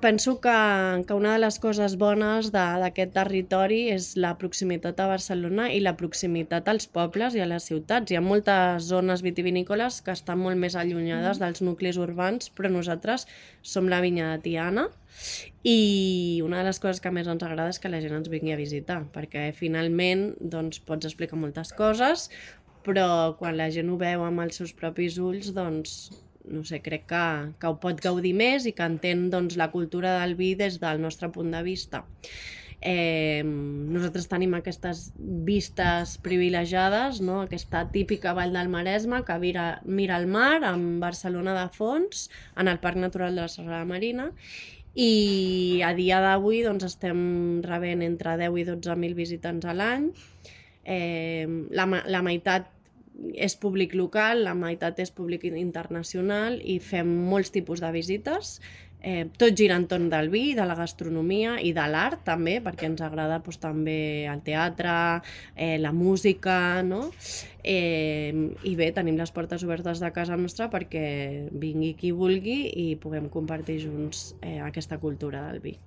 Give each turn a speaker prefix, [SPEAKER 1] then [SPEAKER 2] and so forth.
[SPEAKER 1] Penso que una de les coses bones d'aquest territori és la proximitat a Barcelona i la proximitat als pobles i a les ciutats. Hi ha moltes zones vitivinícoles que estan molt més allunyades dels nuclis urbans, però nosaltres som la vinya de Tiana i una de les coses que més ens agrada és que la gent ens vingui a visitar, perquè finalment doncs, pots explicar moltes coses, però quan la gent ho veu amb els seus propis ulls, doncs no sé, crec que ho pot gaudir més i que entén doncs, la cultura del vi des del nostre punt de vista. Nosaltres tenim aquestes vistes privilegiades, no? Aquesta típica vall del Maresme que mira el mar amb Barcelona de fons, en el Parc Natural de la Serralada Marina, i a dia d'avui doncs, estem rebent entre 10 i 12.000 visitants a l'any. La meitat és públic local, la meitat és públic internacional i fem molts tipus de visites. Tot gira entorn del vi, de la gastronomia i de l'art també, perquè ens agrada doncs, també el teatre, la música, no? I bé, tenim les portes obertes de casa nostra perquè vingui qui vulgui i puguem compartir junts aquesta cultura del vi.